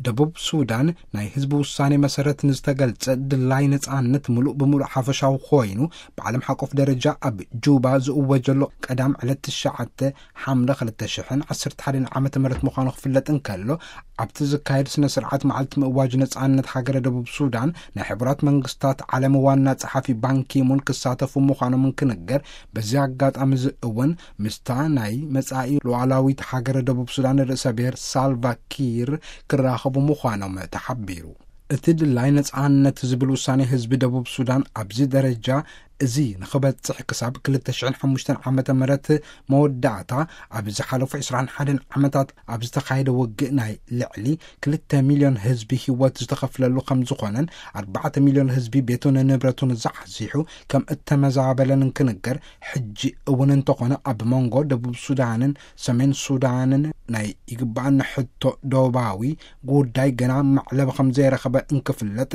ደቡብ ሱዳን ናይ ህዝቢ ውሳኔ መሰረት ንዝተገልጸ ድላይ ነጻነት ምሉእ ብምሉእ ሓፈሻዊ ኮይኑ፣ ብዓለም ሓቆፍ ደረጃ ኣብ ጁባ ዝእወጀሎ ቀዳም ዕለት ትሽዓተ ሓምለ ክልተ ሽሕን ዓሰርተ ሓደን ዓመተ ምህረት ምዃኑ ክፍለጥ እንከሎ፣ ኣብቲ ዝካየድ ስነ ስርዓት መዓልቲ ምእዋጅ ነጻነት ሃገረ ደቡብ ሱዳን፣ ናይ ሕቡራት መንግስታት ዓለም ዋና ጸሓፊ ባንኪሙን ክሳተፉ ምዃኖም እንክንገር፣ በዚ ኣጋጣሚ እዚ እውን ምስታ ናይ መጻኢ ሉዓላዊት ሃገረ ደቡብ ሱዳን ርእሰ ብሔር ሳልቫ ኪር ክራኸቡ ምዃኖም ተሓቢሩ። እቲ ድላይ ነጻነት ዝብል ውሳኔ ህዝቢ ደቡብ ሱዳን ኣብዚ ደረጃ እዚ ንኽበጽሕ ክሳብ ክልተ ሽሕን ሓሙሽተን ዓመተ ምህረት መወዳእታ፣ ኣብ ዝሓለፉ ዕስራን ሓደን ዓመታት ኣብ ዝተኻየደ ውግእ ናይ ልዕሊ ክልተ ሚልዮን ህዝቢ ህይወት ዝተኸፍለሉ ከም ዝኾነን፣ ኣርባዕተ ሚልዮን ህዝቢ ቤቱን ንብረቱን ዛሕዚሑ ከም እተመዛበለን እንክንገር፣ ሕጂ እውን እንተኾነ ኣብ መንጎ ደቡብ ሱዳንን ሰሜን ሱዳንን ናይ ይግባኣኒ ሕቶ ዶባዊ ጉዳይ ገና መዕለቢ ከም ዘይረኸበ እንክፍለጥ፣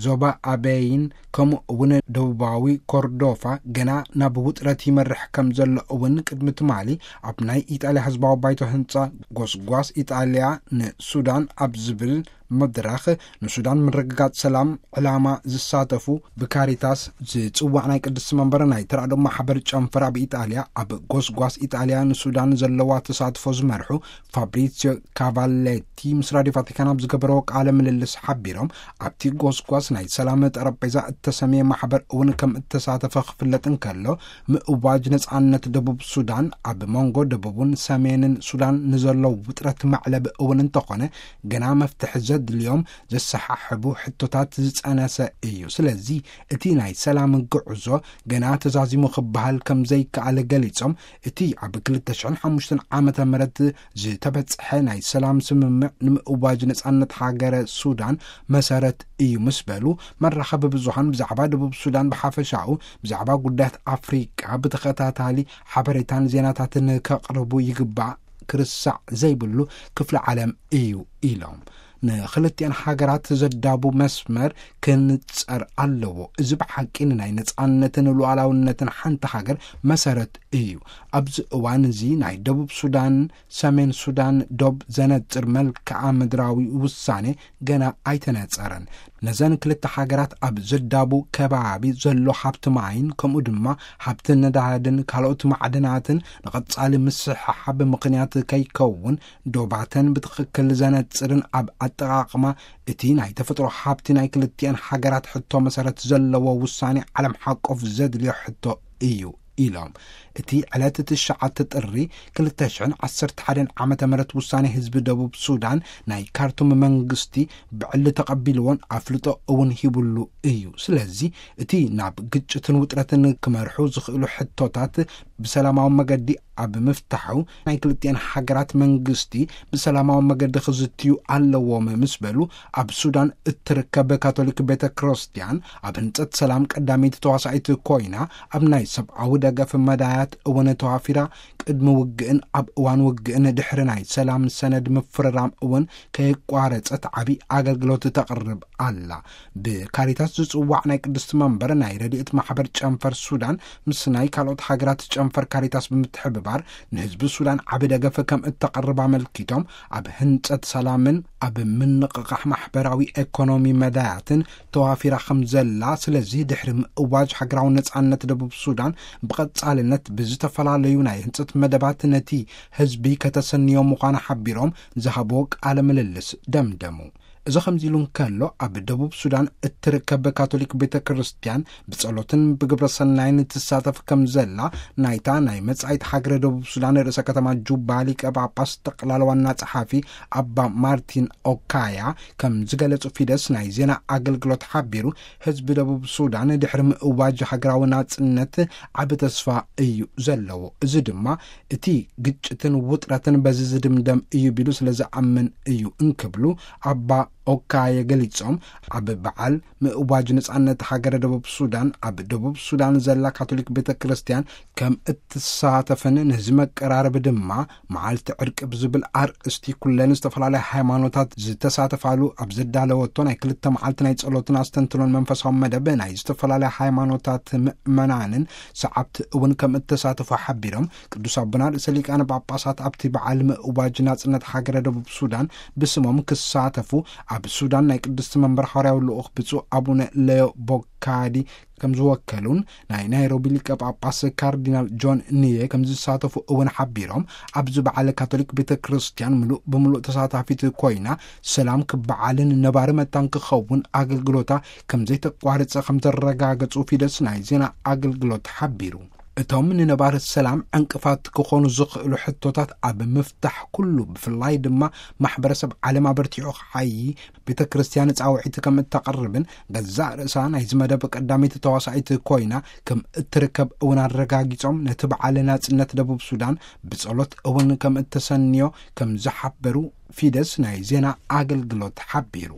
ዞባ ኣበይን ከምኡ እውን ደቡባዊ ኮርዶፋ ገና ናብ ውጥረት ይመርሕ ከም ዘሎ እውን ቅድሚ ትማሊ ኣብ ናይ ኢጣልያ ህዝባዊ ባይቶ ህንጻ ጎስጓስ ኢጣልያ ንሱዳን ኣብ ዝብል መድረኽ፣ ንሱዳን ምርግጋጽ ሰላም ዕላማ ዝሳተፉ ብካሪታስ ዝጽዋዕ ናይ ቅድስቲ መንበር ናይ ተራድኦ ማሕበር ጨንፈር ኣብ ኢጣልያ፣ ኣብ ጎስጓስ ኢጣልያ ንሱዳን ዘለዋ ተሳትፎ ዝመርሑ ፋብሪሲዮ ካቫሌቲ ምስ ራዲዮ ቫቲካን ኣብ ዝገበረዎ ቃለ ምልልስ ሓቢሮም፣ ኣብቲ ጎስጓስ ናይ ሰላም ጠረጴዛ እተሰምየ ማሕበር እውን ከም እተሳተፈ ክፍለጥ እንከሎ፣ ምእዋጅ ነጻነት ደቡብ ሱዳን ኣብ መንጎ ደቡብን ሰሜንን ሱዳን ንዘሎ ውጥረት መዕለቢ እውን እንተኾነ፣ ገና መፍትሒ ዘድልዮም ዘሰሓሕቡ ሕቶታት ዝጸነሰ እዩ። ስለዚ እቲ ናይ ሰላም ጉዕዞ ገና ተዛዚሙ ክበሃል ከም ዘይከኣል ገሊጾም፣ እቲ ኣብ ክልተ ሽሕን ሓሙሽተን ዓመተ ምህረት ዝተበጽሐ ናይ ሰላም ስምምዕ ንምእዋጅ ነጻነት ሃገረ ሱዳን መሰረት እዩ ምስ በሉ፣ መራኸቢ ብዙሃን ብዛዕባ ደቡብ ሱዳን ብሓፈሻኡ፣ ብዛዕባ ጉዳያት ኣፍሪቃ ብተኸታታሊ ሓበሬታን ዜናታትን ከቕርቡ ይግባእ፣ ክርሳዕ ዘይብሉ ክፍሊ ዓለም እዩ ኢሎም። ንክልቲኣን ሃገራት ዘዳቡ መስመር ክንጸር ኣለዎ። እዚ ብሓቂ ንናይ ነጻነትን ሉዓላውነትን ሓንቲ ሃገር መሰረት እዩ። ኣብዚ እዋን እዚ ናይ ደቡብ ሱዳን፣ ሰሜን ሱዳን ዶብ ዘነጽር መልክዓ ምድራዊ ውሳኔ ገና ኣይተነጸረን። ነዘን ክልተ ሃገራት ኣብ ዘዳቡ ከባቢ ዘሎ ሃብቲ ማይን ከምኡ ድማ ሃብቲ ነዳድን ካልኦት ማዕድናትን ንቐጻሊ ምስሕሓብ ምኽንያት ከይከውን ዶባተን ብትኽክል ዘነጽርን ኣብ ኣጠቓቕማ እቲ ናይ ተፈጥሮ ሃብቲ ናይ ክልቲኣን ሃገራት ሕቶ መሰረት ዘለዎ ውሳኔ ዓለም ሓቆፍ ዘድልዮ ሕቶ እዩ ኢሎም። እቲ ዕለት ትሽዓተ ጥሪ ክልተ ሽሕን ዓሰርተ ሓደን ዓመተ ምህረት ውሳኔ ህዝቢ ደቡብ ሱዳን ናይ ካርቱም መንግስቲ ብዕሊ ተቐቢልዎን ኣፍልጦ እውን ሂቡሉ እዩ። ስለዚ እቲ ናብ ግጭትን ውጥረትን ክመርሑ ዝኽእሉ ሕቶታት ብሰላማዊ መገዲ ኣብ ምፍታሑ ናይ ክልቲኣን ሃገራት መንግስቲ ብሰላማዊ መገዲ ክዝትዩ ኣለዎም ምስ በሉ፣ ኣብ ሱዳን እትርከብ ካቶሊክ ቤተ ክርስቲያን ኣብ ህንጸት ሰላም ቀዳመይቲ ተዋሳኢት ኮይና፣ ኣብ ናይ ሰብኣዊ ደገፍ መዳያት እውን ተዋፊራ፣ ቅድሚ ውግእን ኣብ እዋን ውግእን ድሕሪ ናይ ሰላም ሰነድ ምፍርራም እውን ከየቋረጸት ዓቢ ኣገልግሎት ተቕርብ ኣላ። ብካሪታስ ዝጽዋዕ ናይ ቅድስቲ መንበር ናይ ረድኤት ማሕበር ጨንፈር ሱዳን ምስ ናይ ካልኦት ሃገራት ጨንፈር ካሪታስ ብምትሕብባር ንህዝቢ ሱዳን ዓቢ ደገፍ ከም እተቕርብ ኣመልኪቶም፣ ኣብ ህንጸት ሰላምን ኣብ ምንቕቓሕ ማሕበራዊ ኤኮኖሚ መዳያትን ተዋፊራ ከም ዘላ፣ ስለዚ ድሕሪ ምእዋጅ ሃገራዊ ነጻነት ደቡብ ሱዳን ብቐጻልነት ብዝተፈላለዩ ናይ ህንጸት መደባት ነቲ ህዝቢ ከተሰንዮ ምዃና ሓቢሮም ዝሃብዎ ቃለ ምልልስ ደምደሙ። እዚ ከምዚ ኢሉ እንከሎ፣ ኣብ ደቡብ ሱዳን እትርከብ ካቶሊክ ቤተ ክርስቲያን ብጸሎትን ብግብረ ሰናይን ትሳተፍ ከም ዘላ ናይታ ናይ መጻኢት ሃገረ ደቡብ ሱዳን ርእሰ ከተማ ጁባ ሊቀ ጳጳስ ጠቕላላ ዋና ጸሓፊ ኣባ ማርቲን ኦካያ ከም ዝገለጹ ፊደስ ናይ ዜና ኣገልግሎት ሓቢሩ፣ ህዝቢ ደቡብ ሱዳን ድሕሪ ምእዋጅ ሃገራዊ ናጽነት ዓቢ ተስፋ እዩ ዘለዎ። እዚ ድማ እቲ ግጭትን ውጥረትን በዚ ዝድምደም እዩ ቢሉ ስለ ዝኣምን እዩ እንክብሉ ኣባ ኦካየ ገሊጾም፣ ኣብ በዓል ምእዋጅ ነጻነት ሃገረ ደቡብ ሱዳን ኣብ ደቡብ ሱዳን ዘላ ካቶሊክ ቤተ ክርስቲያን ከም እትሳተፍን ነዚ መቀራረብ ድማ መዓልቲ ዕርቂ ብዝብል ኣርእስቲ ኩለን ዝተፈላለያ ሃይማኖታት ዝተሳተፋሉ ኣብ ዘዳለወቶ ናይ ክልተ መዓልቲ ናይ ጸሎትን ኣስተንትኖን መንፈሳዊ መደብ ናይ ዝተፈላለያ ሃይማኖታት ምእመናንን ሰዓብቲ እውን ከም እተሳተፉ ሓቢሮም፣ ቅዱስ ኣቦና ርእሰ ሊቃነ ጳጳሳት ኣብቲ በዓል ምእዋጅ ናጽነት ሃገረ ደቡብ ሱዳን ብስሞም ክሳተፉ ኣብ ሱዳን ናይ ቅድስቲ መንበር ሃዋርያዊ ልኡኽ ብፁዕ ኣቡነ ሌዮ ቦካዲ ከም ዝወከሉን ናይ ናይሮቢ ሊቀ ጳጳስ ካርዲናል ጆን ንየ ከም ዝሳተፉ እውን ሓቢሮም፣ ኣብዚ በዓል ካቶሊክ ቤተ ክርስቲያን ምሉእ ብምሉእ ተሳታፊት ኮይና ሰላም ክበዓልን ነባሪ መታን ክኸውን ኣገልግሎታ ከም ዘይተቋርጸ ከም ዘረጋገጹ ፊደስ ናይ ዜና ኣገልግሎት ሓቢሩ። እቶም ንነባሪ ሰላም ዕንቅፋት ክኾኑ ዝኽእሉ ሕቶታት ኣብ ምፍታሕ ኩሉ፣ ብፍላይ ድማ ማሕበረሰብ ዓለም ኣበርቲዑ ክዓዪ ቤተ ክርስቲያን ጻውዒት ከም እተቕርብን ገዛእ ርእሳ ናይዚ መደብ ቀዳመይቲ ተዋሳኢት ኮይና ከም እትርከብ እውን ኣረጋጊጾም፣ ነቲ በዓል ናጽነት ደቡብ ሱዳን ብጸሎት እውን ከም እተሰንዮ ከም ዝሓበሩ ፊደስ ናይ ዜና ኣገልግሎት ሓቢሩ።